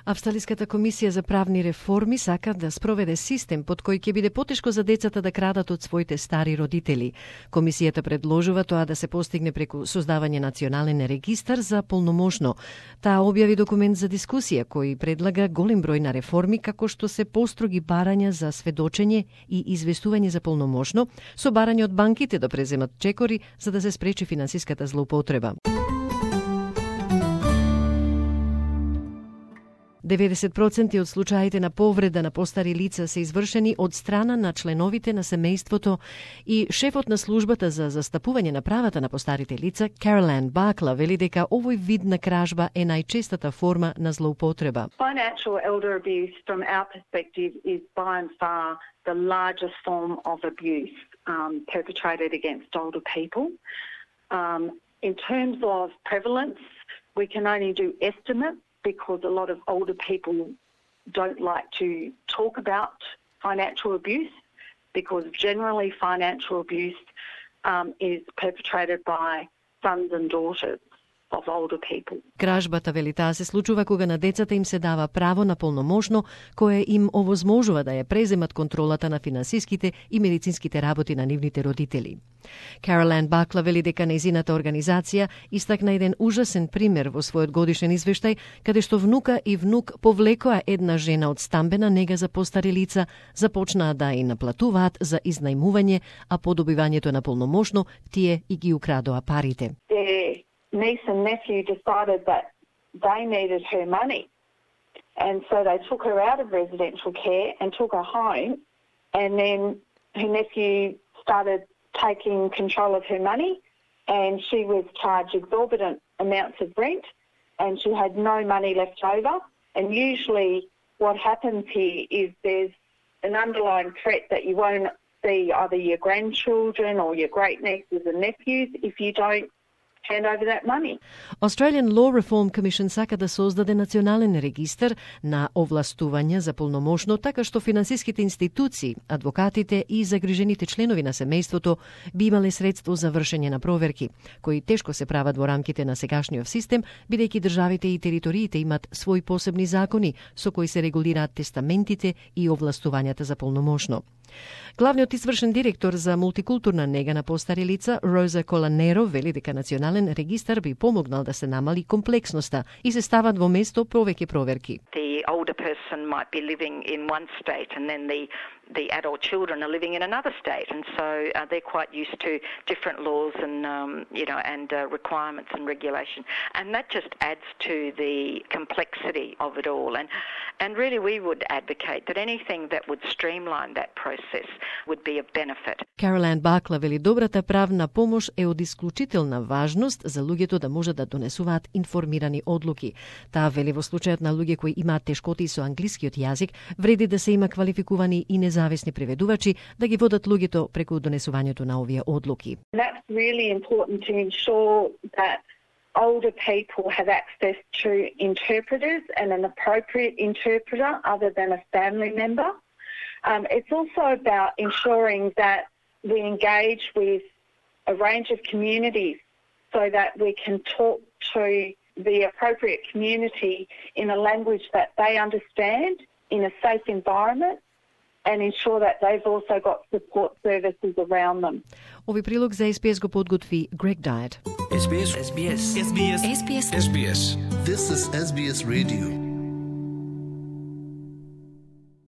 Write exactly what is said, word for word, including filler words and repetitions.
Австралиската комисија за правни реформи сака да спроведе систем под кој ќе биде потешко за децата да крадат од своите стари родители. Комисијата предложува тоа да се постигне преку создавање национален регистар за полномошно. Таа објави документ за дискусија кој предлага голем број на реформи, како што се построги барања за сведочење и известување за полномошно, со барање од банките да преземат чекори за да се спречи финансиската злоупотреба. деветдесет проценти од случаите на повреда на постари лица се извршени од страна на членовите на семејството и шефот на службата за застапување на правата на постарите лица, Caroline Barkla, вели дека овој вид на кражба е најчестата форма на злоупотреба. Financial elder abuse from our perspective is by and far the largest form of abuse um, perpetrated against older people. Um, in terms of prevalence, we can only do estimates, because a lot of older people don't like to talk about financial abuse, because generally financial abuse um, is perpetrated by sons and daughters of older people. Кражбата, вели таа, се случува кога на децата им се дава право на полномошно кое им овозможува да ја преземат контролата на финансиските и медицинските работи на нивните родители. Caroline Barkla вели дека нејзината организација истакна еден ужасен пример во својот годишен извештај, каде што внука и внук повлекоа една жена од стамбена нега за постари лица, започнаа да и наплатуваат за изнајмување, а по добивањето на полномошно тие и ги украдоа парите. Niece and nephew decided that they needed her money, and so they took her out of residential care and took her home, and then her nephew started taking control of her money, and she was charged exorbitant amounts of rent, and she had no money left over. And usually what happens here is there's an underlying threat that you won't see either your grandchildren or your great nieces and nephews if you don't hand over that money. Australian Law Reform Commission сака да создаде национален регистар на овластување за полномошно, така што финансиските институции, адвокатите и загрижените членови на семејството би имале средство за вршење на проверки, кои тешко се прават во рамките на сегашниот систем, бидејќи државите и териториите имат своји посебни закони со кои се регулираат тестаментите и овластувањата за полномошно. Главниот извршен директор за мултикултурна нега на постари лица, Роза Коланеро, вели дека национален регистар би помогнал да се намали комплексноста и се стават во место повеќе проверки. The older person might be living in one state and then the the adult children are living in another state, and so uh, they're quite used to different laws and um, you know and uh, requirements and regulation, and that just adds to the complexity of it all. And and really, we would advocate that anything that would streamline that process would be of benefit. Caroline Barkla вели добрата правна помош е од исклучителна важност за луѓето да можат да донесуваат информирани одлуки. Таа вели во случајот на луѓе кои имаат тешкоти со англискиот јазик, вреди да се има квалификувани и независни преведувачи да ги водат луѓето преку донесувањето на овие одлуки. That's really important to ensure that older people have access to interpreters and an appropriate interpreter other than a family member. Um, it's also about ensuring that we engage with a range of communities so that we can talk to the appropriate community in a language that they understand, in a safe environment, and ensure that they've also got support services around them. Ови прилог за Ес Би Ес го подготви Greg Diet. Ес Би Ес. Ес Би Ес. Ес Би Ес. Ес Би Ес. Ес Би Ес. This is Ес Би Ес Radio.